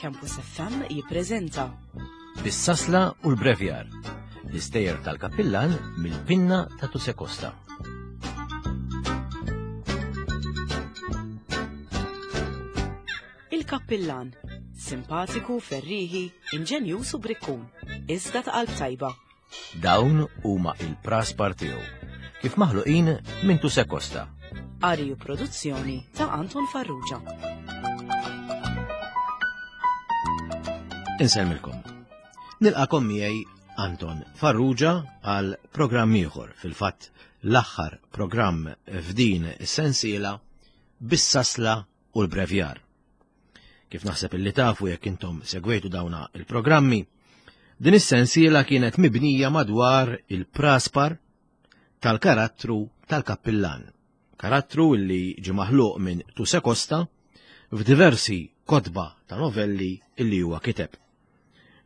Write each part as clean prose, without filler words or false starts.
Campus FM jippreżenta Bis-sasla u l-brevjar, l-istejjer tal-kappillan mill-pinna ta' Tuse Costa. Il-Kappillan, simpatiku, ferriħi, inġenjuż u brikkun, iżda ta' qalb tajba. Dawn huma il-praspar tiegħu, kif maħluqin minn Tuse Costa. Qari u produzzjoni ta' Anton Farrugia. Insellmilkom. Nilqakom miegħi Anton Farrugia għal programm ieħor, fil-fatt l-aħħar programm f'din is-sensiela bis-sasla u l-brevjar. Kif naħseb illi tafu jekk intom segwejtu dawna il-programmi, din is-sensiela kienet mibnija madwar il-praspar tal-karattru tal-kappillan. Karattru illi ġi maħluq minn Tuse Costa f'diversi kotba ta' novelli illi huwa kiteb.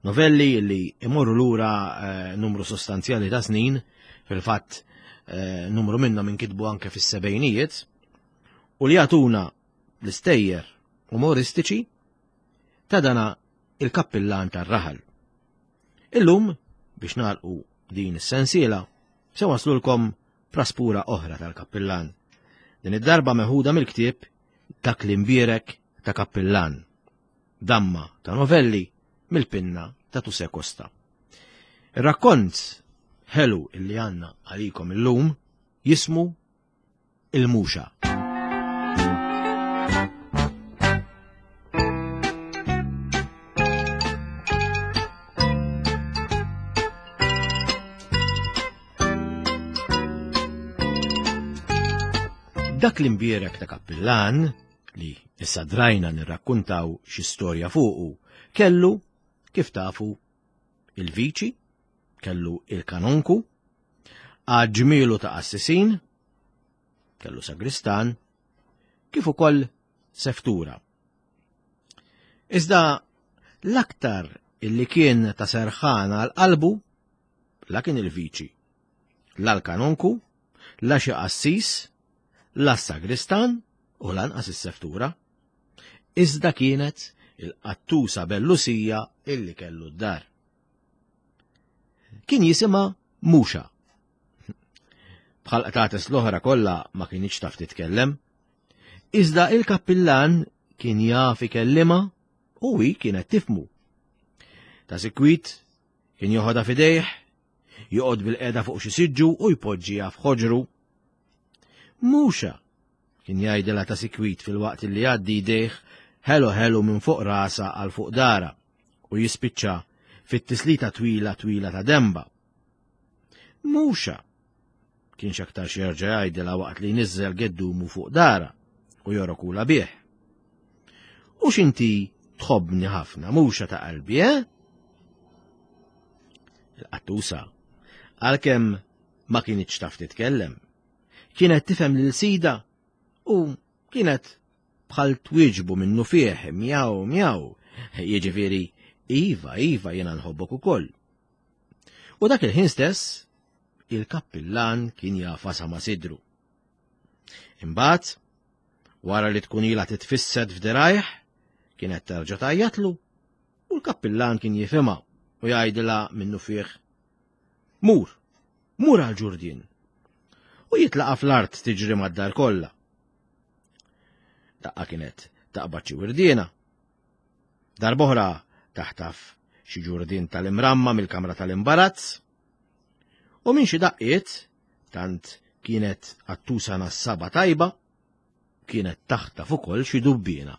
Novelli illi imorru lura eh, numru sostanzjali ta' snin, fil-fatt eh, numru minnhom inkitbu anke fis-sebejnijiet, u li jagħtuna l-istejjer umoristiċi ta' dana il-kappillan tar-raħal. Illum, biex nagħlqu din is-sensiela, se waslulkom praspura oħra tal-kappillan. Din id-darba meħuda mill-ktieb Dak li mbierek ta' kappillan. Damma ta' novelli mill-pinna ta' Tuse Costa. Ir-rakkont ħelu illi għandna għalikom illum jismu Il-Muxa. Dak l-imbierek ta' kappillan, li issa drajna nirrakkuntaw xi storja fuqu, kellu, kif tafu, il-viċi, kellu il-kanonku, għad ġmielu ta' qassisin, kellu sagristan, kif ukoll seftura. Iżda l-aktar illi kien ta' serħan għal qalbu la kien il-viċi, la l-kanonku, la xi qassis, la s-sagristan u lanqas is-seftura. Iżda kienet il-qattusa bellusija illi kellu d-dar. Kien jisimha Muxa. Bħal qtates l-oħra kollha ma kinitx taf titkellem. Iżda il-kappillan kien jaf ikellima u hi kienet tifmu. Ta' sikwit kien joħodha f'idejh, joqgħod bil-qeda fuq xi siġġu u jpoġġiha f'ħoġru. Muxa, kien jgħidilha ta' sikwit filwaqt li jgħaddi jdejh ħelu ħelu minn fuq rasha għal fuq dara u jispiċċa fit-tislita twila twila ta' demba. Muxa, kien x'aktarx jerġa' jgħidilha waqt li jniżżel geddumu fuq dara u jorokula bih. U x'inti tħobbni ħafna, muxa ta' qalbi, eh? Il-qattusa, għalkemm ma kinitx taf titkellem, kienet tifhem lil sida u kienet bħal twieġbu minnu fih, mjaw, mjaw, jiġifieri, iva, iva, jiena nħobbok ukoll. U dak il-ħin stess, il-kappillan kien jafasa ma' sidru. Imbagħad, wara li tkun ilha titfissed f'dirajh, kienet terġa' tgħajjatlu u l-kappillan kien jifhimha u jgħidilha minnu fih, Mur, mur għal ġurdien. U jitlaqa fl-art tiġri mad-dar kollha. Daqqa kienet taqbad xi wirdiena. Darb'oħra taħtaf xi ġurdien tal-imramma mill-kamra tal-imbarazz. U minn xi daqqiet, tant kienet qattusa nassaba tajba, kienet taħtaf ukoll xi dubbiena.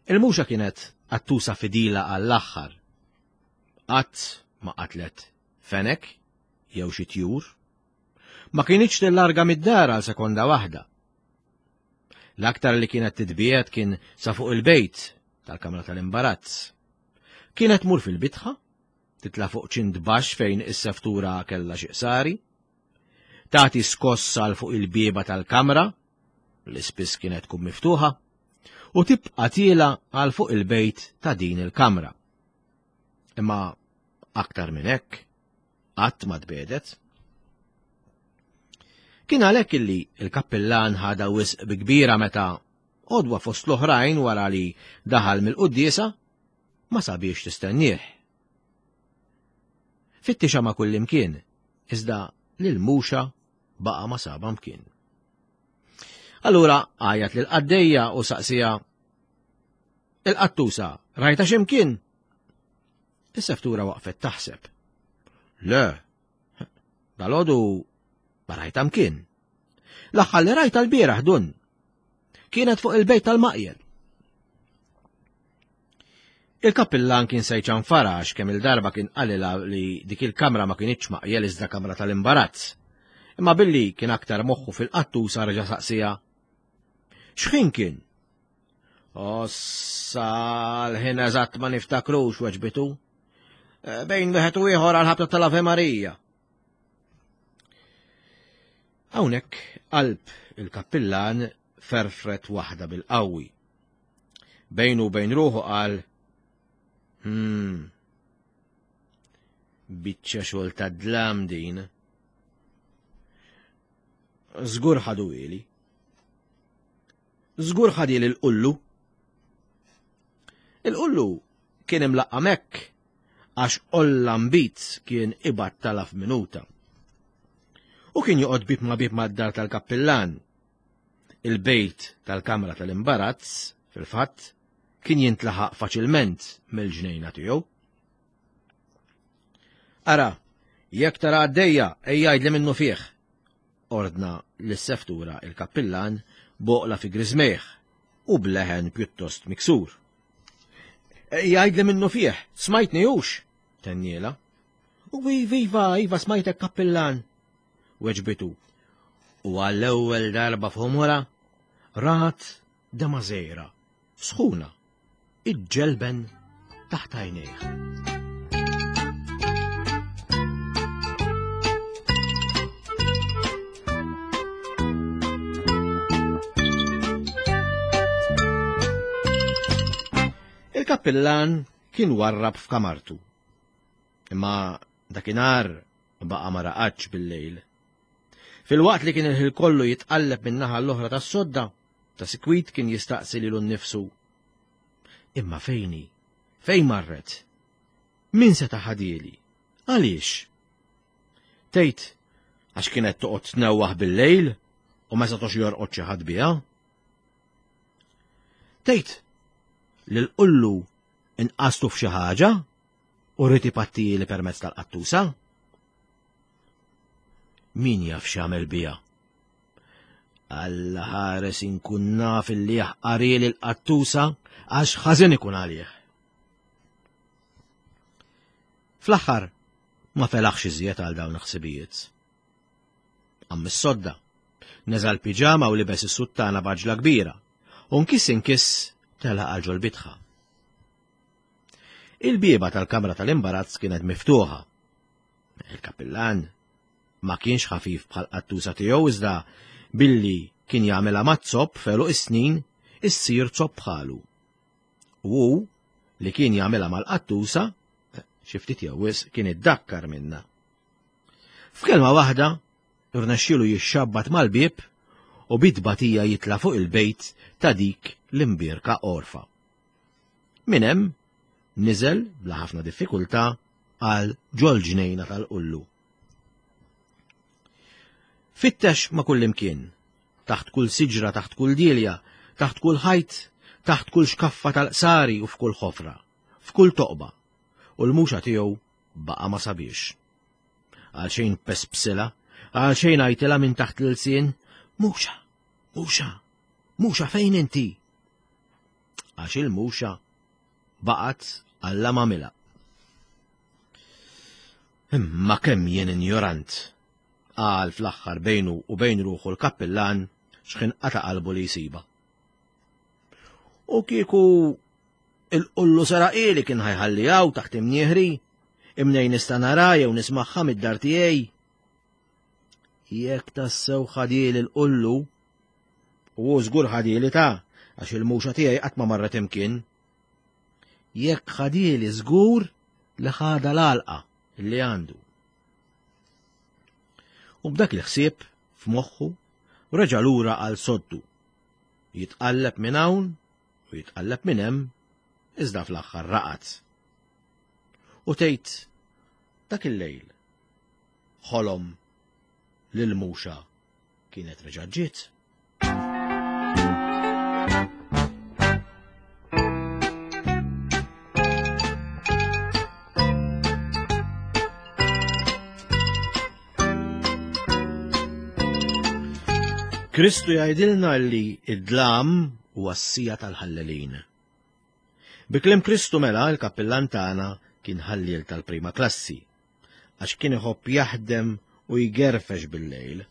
Il-muxa kienet qattusa fidila għall-aħħar. Qatt ma qatlet fenek jew xi tjur. Ma kinitx tillarga mid-dar għal sekonda waħda. L-aktar li kienet titbiegħed kien sa fuq il-bejt tal-kamra tal-imbarazz. Kienet tmur fil-bitħa, titla' fuq ċint baxx fejn is-seftura kellha xi qsari, tagħti skoss għal fuq il-bieba tal-kamra, li spiss kienet tkun miftuħa, u tibqa' tiela għal fuq il-bejt ta' din il-kamra. Imma aktar minn hekk, qatt ma tbedet. Kien għalhekk illi l-kappillan ħadha wisq bi kbira meta Għodwa fost l-oħrajn wara li daħal mill-quddiesa, ma sabiex tistennieh. Fittixa ma' kullimkien, iżda lil Muxa baqa' ma saba mkien. Allura għajat lil qaddejja u saqsija Il-qattusa, rajta x'imkien? Is-seftura waqfet taħseb. Le, dalodu ma rajta mkien. L-aħħar li rajta l-bieraħ dun. Kienet fuq il-bejt tal-maqjel. Il-kappillan kien se jċanfara għax kemm il-darba kien qalilha li dik il-kamra ma kinitx maqjel iżda kamra tal-imbarazz. Imma billi kien aktar moħħu fil-qattusa reġa' saqsija. X'ħin kien? Ossa l-ħin eżatt ma niftakrux weġbitu. Eh, bejn wieħed u ieħor għal ħabta tal-Ave Marija. Hawnhekk qalb il-kappillan ferfret waħda bil-qawwi. Bejnu u bejn ruħu qal, Hmm, biċċa xogħol ta' dlam din. Żgur ħadu ili. Żgur ħadili l-qullu. Il-qullu kien imlaqqam hekk għax olla mbit kien ibattala f'minuta. U kien joqgħod bib ma' bib mad-dar tal-kappillan Il-bejt tal-kamra tal-imbarazz, fil-fatt, kien jintlaħaq faċilment mill-ġnejna tiegħu. Ara, jekk tara għaddejja, ejja għidli minnu fih, ordna lis-seftura il-kappillan boqla fi griżmejh u bleħen pjuttost miksur. Ejja għidli minnu fih, smajtni hux, tenniela. U iva, iva smajtek kappillan, weġbitu u għall-ewwel darba f'għomorha rat dema żgħira, sħuna, iġġelben taħt għajnejh. Il-kappillan kien warrab f'kamartu. Imma dakinhar baqa' ma raqadx bil-lejl. Filwaqt li kien il-ħin kollu jitqalleb minn naħa l-oħra tas-sodda, ta' sikwit kien jistaqsi lilu nnifsu. Imma fejni? Fejn marret? Min seta' ħadieli? Għaliex? Tgħid għax kienet toqgħod tnewwaħ bil-lejl u ma setax jorqod xi ħadd biha? Tgħid li l-qullu inqastu f'xi ħaġa u rrid ipattili permezz tal-qattusa? Min jaf x'għamel biha? Alla ħares inkun naf illi jaħqarili l-qattusa għax ħażin ikun għalih. Fl-aħħar ma felaħx iżjed għal dawn il-ħsibijiet. Qam mis-sodda, neża' l-piġama u libes is-suttana b'għaġla kbira, u nkiss inkiss telaq għal ġol-bitħa. Il-bieba tal-kamra tal-imbarazz kienet miftuħa. Il-kappillan ma kienx ħafif bħal qattusa tiegħu iżda billi kien jagħmilha mat-zopp f'għeluq is-snin issir zopp bħalu. U hu li kien jagħmilha mal-qattusa, xi ftit jew wisq kien iddakkar minnha. F'kelma waħda, rnexxielu jixxabbat mal-bieb u bi tbatija jitla' fuq il-bejt ta' dik l-imbierka għorfa. Minn hemm niżel bla ħafna diffikultà għal ġol-ġnejna tal-qullu. Fittex ma' kullimkien, taħt kull siġra, taħt kull dielja, taħt kull ħajt, taħt kull xkaffa tal-qsari u f'kull ħofra, f'kull toqba, u l-muxa tiegħu baqa' ma sabiex. Għal xejn pespsila, għal xejn għajtilha minn taħt l-ilsien, muxa, muxa, muxa fejn inti? Għax il-muxa baqgħet Alla m'għamilha. Imma kemm jien injorant, qal fl-aħħar bejnu u bejn ruħu l-kappillan x'ħin qata' qalbu li jsibha. U kieku il-qullu saraqili kien ħajħalli hawn taħt imnieħri, imnejn nista' nara jew nismagħha mid-dar tiegħi. Jekk tassew ħadieli l-qullu, u hu żgur ħadieli ta' għax il-muxa tiegħi qatt ma marret imkien. Jekk ħadieli żgur li ħadha l-għalqa li għandu. U b'dak il-ħsieb f'moħħu reġa' lura għal soddu. Jitqalleb minn hawn u jitqalleb minn hemm, iżda fl-aħħar raqad. U tgħid dak il-lejl ħolom li l-muxa kienet reġa' ġiet. Kristu jgħidilna li id-dlam huwa s-sija tal-ħallelin. Bi kliem Kristu mela l-kappillan tagħna kien ħalliel tal-prima klassi, għax kien iħobb jaħdem u jgerfex bil-lejl.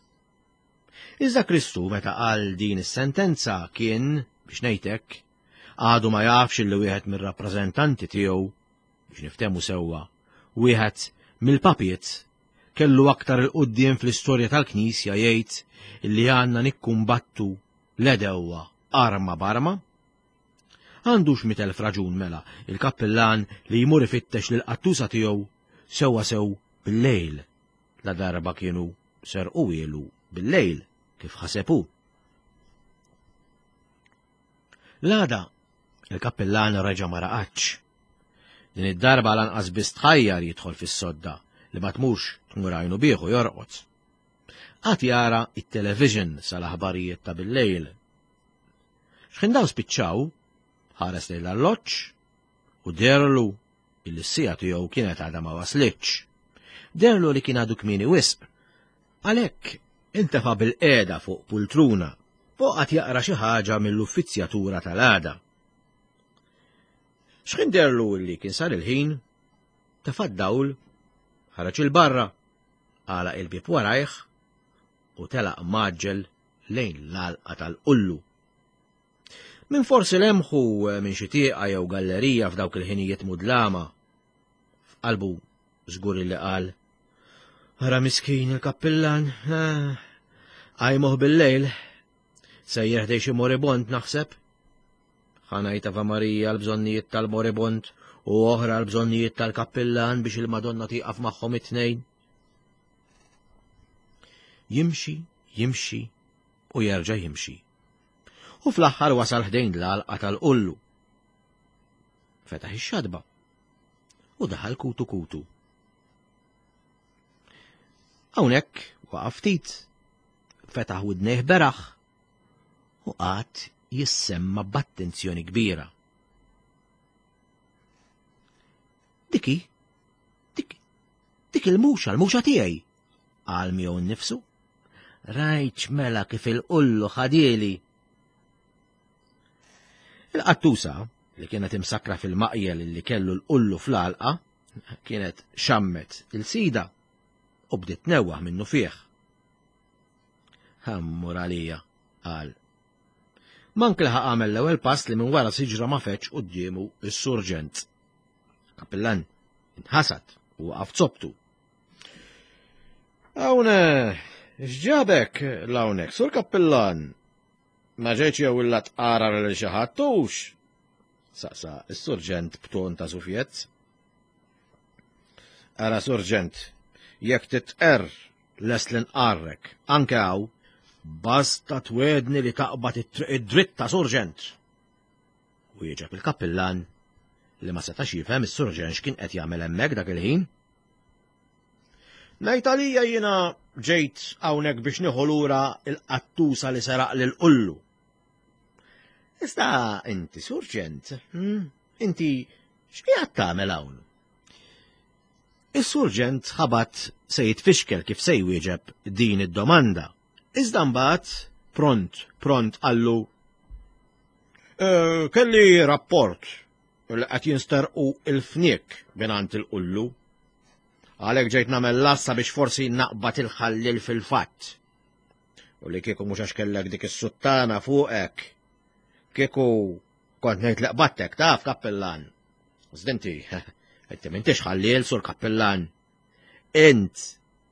Iżda Kristu meta qal din is-sentenza kien, biex ngħidlek, għadu ma jafx li wieħed mir-rappreżentanti tiegħu, biex niftehmu sewwa, wieħed mill-papiet kellu aktar 'il quddiem fl-istorja tal-Knisja jgħid li għandna nikkumbattu l-għedewwa arma b'arma? Għandux mitelf raġun mela il-kappillan li jmur ifittex lill-qattusa tiegħu sewwa sew bil-lejl, ladarba kienu serquhielu bil-lejl kif ħaseb hu. L-għada, il-kappillan reġa' ma raqadx. Din id-darba lanqas biss tħajjar jidħol fis-sodda li ma tmurx tmur għajnu bih u jorqod. Qagħad jara it-television sal-aħbarijiet ta' bil-lejl. X'ħin dawn spiċċaw, ħares lejn l-arloġġ u derlu illi s-sija tiegħu kienet għadha ma waslitx. Derlu li kien għadu kmieni wisq. Għalhekk intefa' bil-qiegħda fuq pultruna u qagħad jaqra xi ħaġa mill-uffizzjatura tal-għada. X'ħin derlu li kien sar il-ħin, tefa' d-dawl, ħareġ il-barra, għalaq il-bieb warajh u telaq mgħaġġel lejn l-għalqa tal-qullu. Min forsi lemħu minn xi tieqa jew gallerija f'dawk il-ħinijiet mudlama. F'qalbu żgur li qal, Ara miskin il-kappillan, ah, għajmuh bil-lejl, sejjer ħdej xi moribond naħseb. Ħanajta va Marija l-bżonnijiet tal-moribond u oħra l-bżonnijiet tal-kappillan biex il-Madonna tieqaf magħhom it-tnejn. Jimxi, jimxi u jerġa' jimxi. U fl-aħħar wasal ħdejn l-għalqa tal-qullu. Fetaħ ix-xadba u daħal kutu kutu. Hawnhekk waqaf ftit, fetaħ widnejh beraħ u qagħad jissemma b'attenzjoni kbira. Diki, dik, dik il-muxa, l-muxa tiegħi, qal miegħu nnifsu. Rajtx mela kif il-qullu ħadieli. Il-qattusa, li kienet imsakra fil-maqjel li kellu l-qullu fl-għalqa, kienet xammet il-sida u bdiet tnewwaħ minnu fih. Ħammur għalija, qal. Mank laħaq għamel l-ewwel pass li minn wara siġra ma feġġ quddiemu s-surġent. Kapillan inħasad u waqaf zobtu. Hawn x'ġabek l-hawnhekk, sur kappillan? Ma ġejtx jew illa tqara lil xi ħadd hux? Saqsa s-surġent b'ton ta' sufjett. Ara surġent, jekk titqerr lest li nqarrek, anke hawn, basta twedni li taqbad it-triq id-dritta, surġent. Wieġeb il-kappillan li ma setax jifhem is-surġent x'kien qed jagħmel hemmhekk dak il-ħin. Ngħid għalija jiena ġejt hawnhekk biex nieħu lura il-qattusa li seraq lil qullu. Iżda inti surġent, hmm? inti x'qiegħed tagħmel hawn? Is-surġent ħabat se jitfixkel kif se jwieġeb din id-domanda. Iżda mbagħad pront, pront qallu eh, kelli rapport li qed jinsterqu il-fniek mingħand il-qullu. Għalhekk ġejt nagħmel lassa biex forsi naqbad il-ħallil fil-fatt. U li kieku mhux għax kellek dik is-suttana fuqek. Kieku kont ngħid li qbattek taf kappillan. Zdinti, inti m'intix ħalliel sur kappillan. Int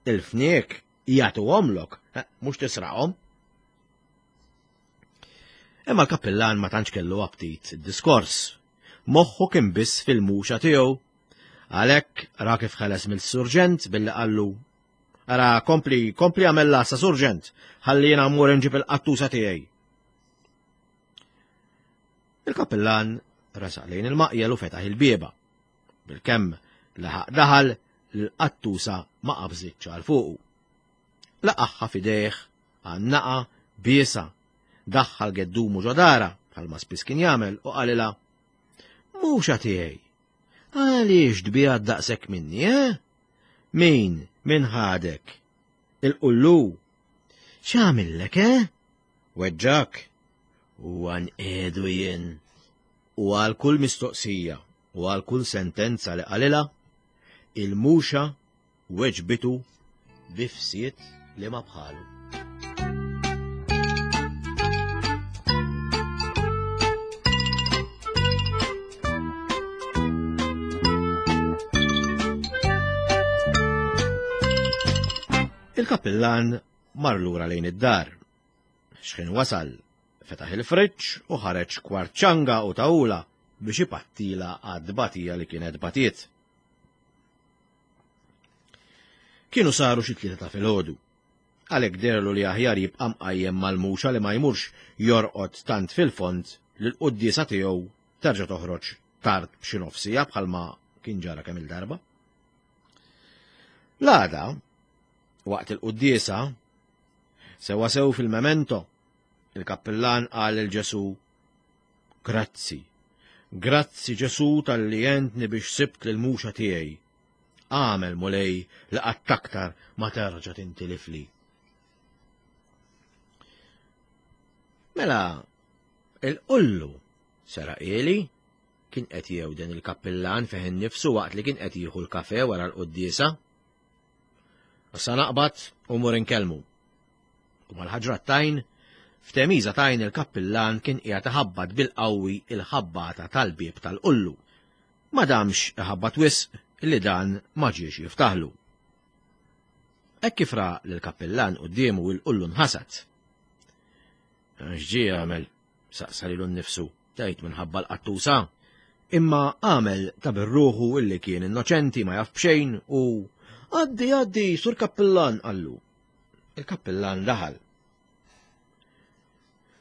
il-fniek jagħtuhomlok, mhux tisraqhom. Imma l-kappillan ma tantx kellu aptit id-diskors. Moħħu kien biss fil-muxa tiegħu. Għalhekk ra kif ħeles mill-surġent billi qallu Ara, kompli, kompli għamel lasa, surġent, ħalli jiena mmur inġib il-qattusa tiegħi. Il-kappillan resaq lejn il-maqjel u fetaħ il-bieba. Bilkemm laħaq daħal l-qattusa ma qabżitx għal fuqu. Laqaħħa f'idejh, għannaqa, biesa, daħħal geddumu ġodara bħalma spiss kien jagħmel u qalilha Mhux tiegħi. Għaliex tbiegħed daqshekk minni, eh? Min, min ħadek? Il-qullu. X'għamillek, eh? Weġġak? U għanqedu jien. U għal kull mistoqsija u għal kull sentenza li qalilha, il-muxa weġbitu bi fsied li ma bħalu. Il-kappillan mar lura lejn id-dar. Xħin wasal, fetaħ il-friġġ u ħareġ kwart ċanga u tawla biex ipattila għad-batija li kienet batiet. Kienu saru xi tlieta ta' filgħodu. Għalhekk deherlu li aħjar jibqa' mqajjem mal-muxa li ma jmurx jorqod tant fil-fond li l-quddiesa tiegħu terġa' toħroġ tard b'xi nofs siegħa bħalma kien ġara kemm-il darba. L-għada, waqt il-quddiesa, sewwa sew fil-memento, il-kappillan qal lil Ġesù, Grazzi, grazzi Ġesù talli għentni biex sibt lill-muxa tiegħi. Agħmel, Mulej, li qatt aktar ma terġa' tintilifli. Mela, il-qullu seraqieli kien qed jewden il-kappillan fih innifsu waqt li kien qed jieħu l-kafe wara l-quddiesa. Issa naqbad u mur inkellmu. U mal-ħaġra tajn, f'temiża tajn il-kappillan kien qiegħed iħabbat bil-qawwi il-ħabbata tal-bieb tal-qullu. Ma damx iħabbat wisq li dan ma ġiex jiftaħlu. Hekk kif ra lill-kappillan quddiemu il-qullu nħasad. X'ġie jagħmel? saqsa lilu nnifsu, tgħid minħabba l-qattusa. Imma għamel ta' birruħu illi kien innoċenti ma jaf b'xejn u Għaddi, għaddi, sur kappillan, qallu. Il-kappillan daħal.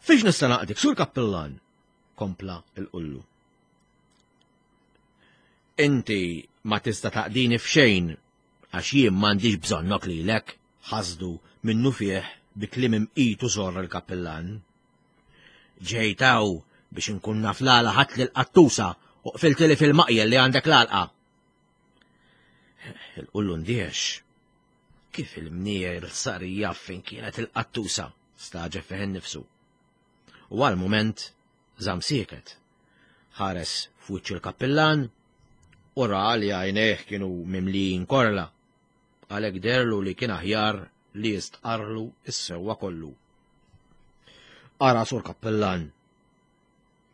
Fiex nista' naqdik, sur kappillan? kompla il-qullu. Inti ma tista' taqdini f'xejn għax jien m'għandix bżonnok lilek, ħasdu minnufih bi kliem imqit u żorr il-kappillan. Ġejt hawn biex inkun naf l-għala ħadt lill-qattusa u qfiltili fil-maqjel li għandek l-għalqa. Il-qullu ndiex. Kif il-mnier sar jaf fejn kienet il-qattusa, staġeb fih innifsu. U għal mument żamm sieket. Ħares f'wiċċ il-kappillan u ra li għajnejh kienu mimlijin korla. Għalhekk deherlu li kien aħjar li jistqarrlu s-sewwa kollu. Ara sur kappillan,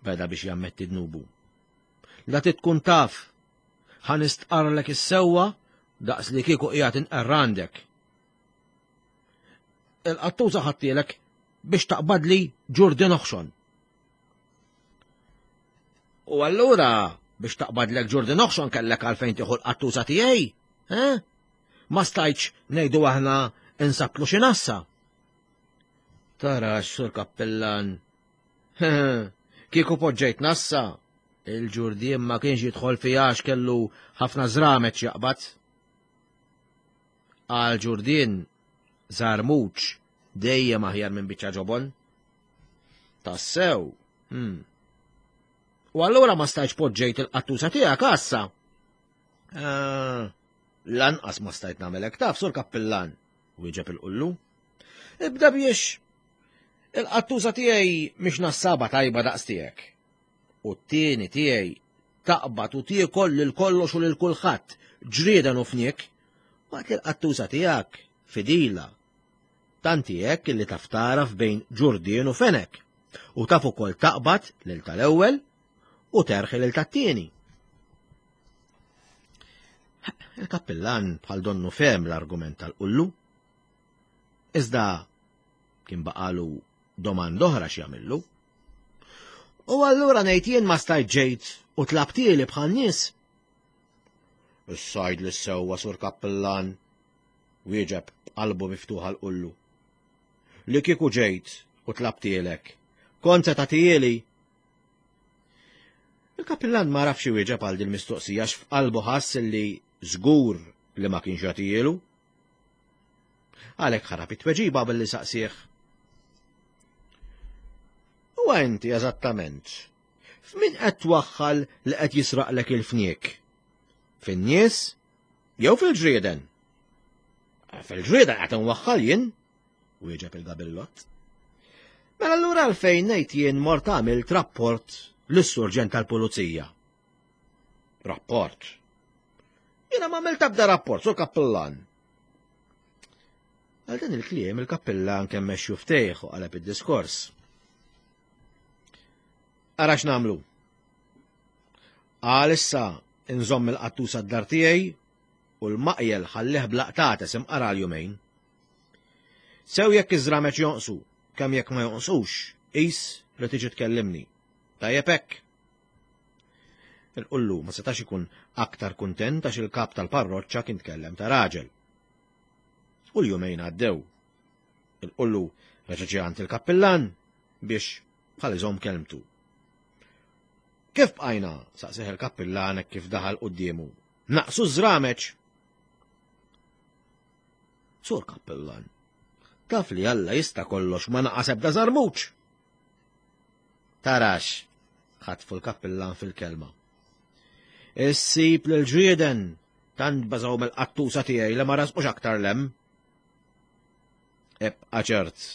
beda biex jammetti dnubu. La tkun taf, ħa nistqarrlek is-sewwa daqs li kieku qiegħed inqerr għandek. Il-qattusa ħadtielek biex taqbadli ġurdien oħxon. U allura biex taqbadlek ġurdien oħxon kellek għalfejn tieħu l-qattusa tiegħi, eh? Ma stajtx ngħidu aħna insabtlu xi nassa. Tara sur kappellan. Kieku poġġejt nassa, il-ġurdien ma kienx jidħol fiha għax kellu ħafna żramet jaqbad. Għal ġurdien żarmuċ dejjem aħjar minn biċċa ġobon. Tassew. Hmm. U allura ma stajtx poġġejt il-qattusa tiegħek għassa. Ah, lanqas ma stajt nagħmelek taf sur kappillan, wieġeb il-qullu. Ibda biex il-qattusa tiegħi mhix nassaba tajba daqs tiegħek. U t-tieni tiegħi taqbad u tiekol lil kollox u lil kulħadd, ġrieden u fniek, waqt li l-qattusa tiegħek fidila. Tanti hekk illi taf tagħraf bejn ġurdien u fenek, u taf ukoll taqbad lil tal-ewwel u terħi lil tat-tieni. Il-kappillan bħal donnu fehem l-argument tal-qullu. Iżda kien baqalu domanda oħra x'jagħmillu. U allura ngħid jien ma stajt ġejt u tlabtieli bħal nies. Is-sajd li sewwa sur kappillan wieġeb b'qalbu miftuħa l-qullu. Li kieku ġejt u tlabtielek, kont se tagħtieli. Il-kappillan ma rafx iwieġeb għal din mistoqsija x'f'qalbu ħass li żgur li ma kienx jagħtijielu. Għalhekk ħarab it-tweġiba billi saqsih. U inti eżattament, f'min qed twaħħal li qed jisraqlek il-fniek? Fin-nies jew fil-ġrieden? Fil-ġrieden qed nwaħħal jien, wieġeb il-gabillott. Mela allura għalfejn ngħid jien mort għamilt rapport lis-surġent tal-pulizija. Rapport? Jiena ma għamilt ebda rapport, sur kappillan. Għal dan il-kliem il-kappillan kemm mexxu ftejh u qaleb id-diskors. Ara x'nagħmlu. Għal issa nżomm il-qattusa d-dar tiegħi u l-maqjel ħallih blaqtates imqara l-jumejn. Sew jekk iż-żrameċ jonqsu, kemm jekk ma jonqsux, qis li tiġi tkellimni. Tajjeb hekk. Il-qullu ma setax ikun aktar kuntent għax il-kap tal-parroċċa kien tkellem ta' raġel. U l-jumejn għaddew. Il-qullu reġa' ġie għand il-kappillan biex bħal iżomm kelmtu. Kif bqajna? saqsih il-kappillan hekk kif daħal quddiemu. Naqsu ż-żrameċ! Sur kappillan, taf li Alla jista' kollox ma naqas ebda żarmuċ. Tarax, ħatfu l-kappillan fil-kelma. Issib lil ġrieden tant bażaw mill-qattusa tiegħi li ma rasqux aktar lem. Ebqa' ċert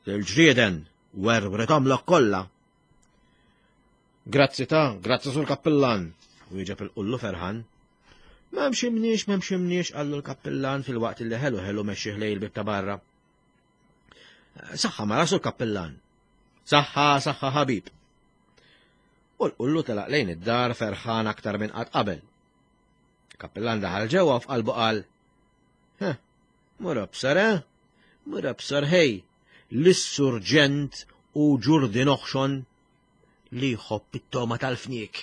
li l-ġrieden werwrithomlok kollha. Grazzi ta' grazzi sur kappillan, wieġeb il-qullu ferħan. M'hemmx imniex, m'hemmx imniex, qallu l-kappillan fil-waqt li ħelu ħelu mexxih lejn il-bib ta' barra. Saħħa mara sur kappillan. Saħħa, saħħa ħabib. U l-qullu telaq lejn id-dar ferħan aktar minn qatt qabel. Kappillan daħal ġewwa f'qalbu qal, Heh, mur absar, eh? Mur absar ħej, l-surġent u ġurdi noħxon li jħobb it-toma tal-fniek.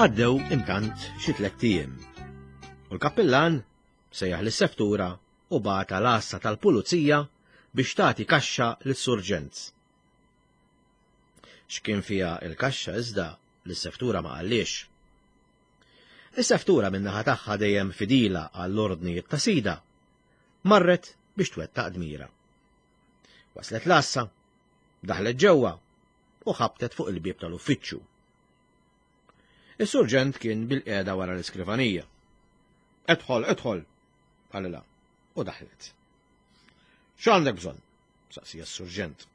Għaddew intant xi tlett ijiem. U l-kappillan sejjaħ lis-seftura u bagħatha l-għassa tal-pulizija biex tagħti kaxxa lis-surġent. X'kien fiha il-kaxxa iżda lis-seftura ma qalliex. Is-seftura min-naħa tagħha dejjem fidila għall-ordnijiet ta' sidha, marret biex twettaq dmira. Waslet l-għassa, daħlet ġewwa u ħabtet fuq il-bieb tal-uffiċċju. Is-surġent kien bil-qiegħda wara l-iskrivanija. Edħol, edħol, qalilha, u daħlet. X'għandek bżonn? saqsija s-surġent.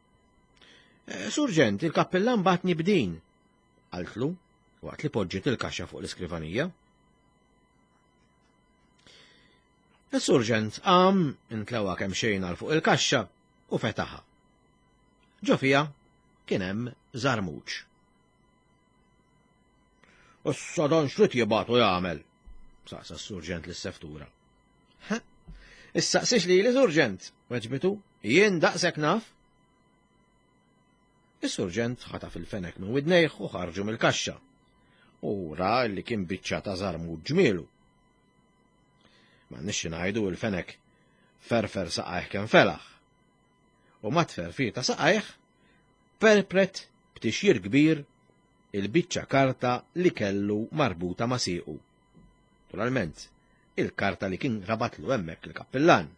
Eh, surġent, il-kappellan batni b'din, qaltlu, waqt li poġġiet il-kaxxa fuq l-iskrivanija. Is-surġent qam, intlewa kemm xejn għal fuq il-kaxxa u fetaħa. Ġo fiha kien hemm żarmuċ. Issa dan xrid jibgħatu jagħmel? saqsa s-surġent lis-seftura. Issaqsix li li surġent, weġbitu, jien daqshekk naf. Is-surġent ħataf il-fenek minn widnejh u ħarġu mill-kaxxa. U ra li kien biċċa ta' żarmu ġmielu. Ma nixxi ngħidu il-fenek ferfer saqajh kemm felaħ. U ma tferfir ta' saqajh perpret b'tixjir kbir il-biċċa karta li kellu marbuta ma' siequ. Naturalment, il-karta li kien rabatlu hemmhekk il-kappillan.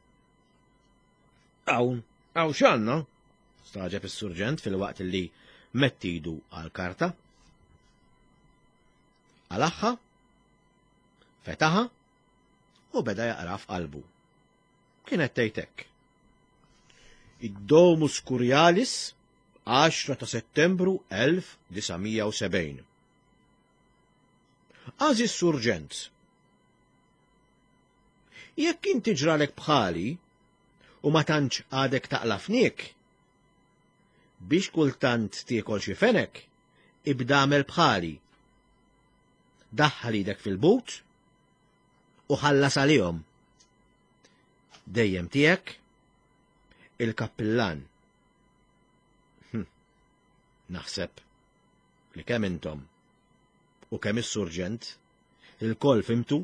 Hawn, hawn x'għandna? Staġeb is-surġent filwaqt li mettidu għal-karta. Għalaħħa, fetaħa u beda jaqra f'qalbu. Kienet tgħid hekk. Id-Domus Curialis 10 ta' Settembru 1970. Għażiż Surġent, jekk inti ġralek bħali u ma tantx għadek taqla' fniek, biex kultant tiekol xi fenek, ibda għamel bħali. Daħħal idek fil-but u ħallas għalihom. Dejjem tiegħek il-kappillan. Hm. Naħseb. li kemm intom u kemm is-surġent ilkoll fhimtu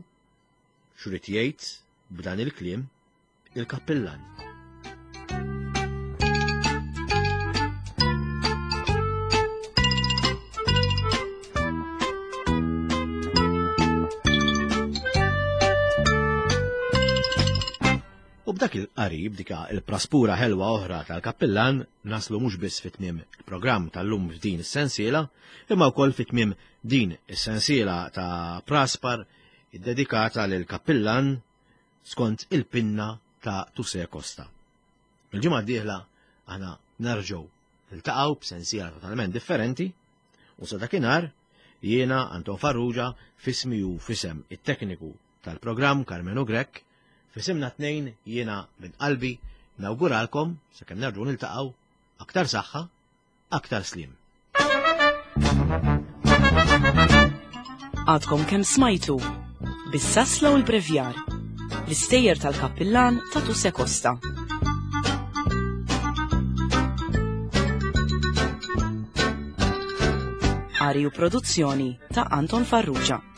x'ried jgħid b'dan il-kliem il-kappillan. U b'dak il-qari, b'dika il-praspura ħelwa oħra tal-kappillan, naslu mhux biss fi tmiem il-programm tal-lum f'din is-sensiela, imma wkoll fi tmiem din is-sensiela ta' praspar iddedikata lil kappillan skont il-pinna ta' Tuse Costa. Il-ġimgħa d-dieħla aħna nerġgħu niltaqgħu b'sensiela totalment differenti u sa dakinhar jiena Anton Farrugia fismi u fisem it-tekniku tal-programm Karmenu Grech fisimna tnejn jiena minn qalbi nawguralkom sakemm nerġgħu niltaqgħu aktar saħħa, aktar sliem. Għadkom kemm smajtu bis-sasla u l-brevjar l-istejjer tal-kappillan ta' Tuse Costa. Qari u produzzjoni ta' Anton Farrugia.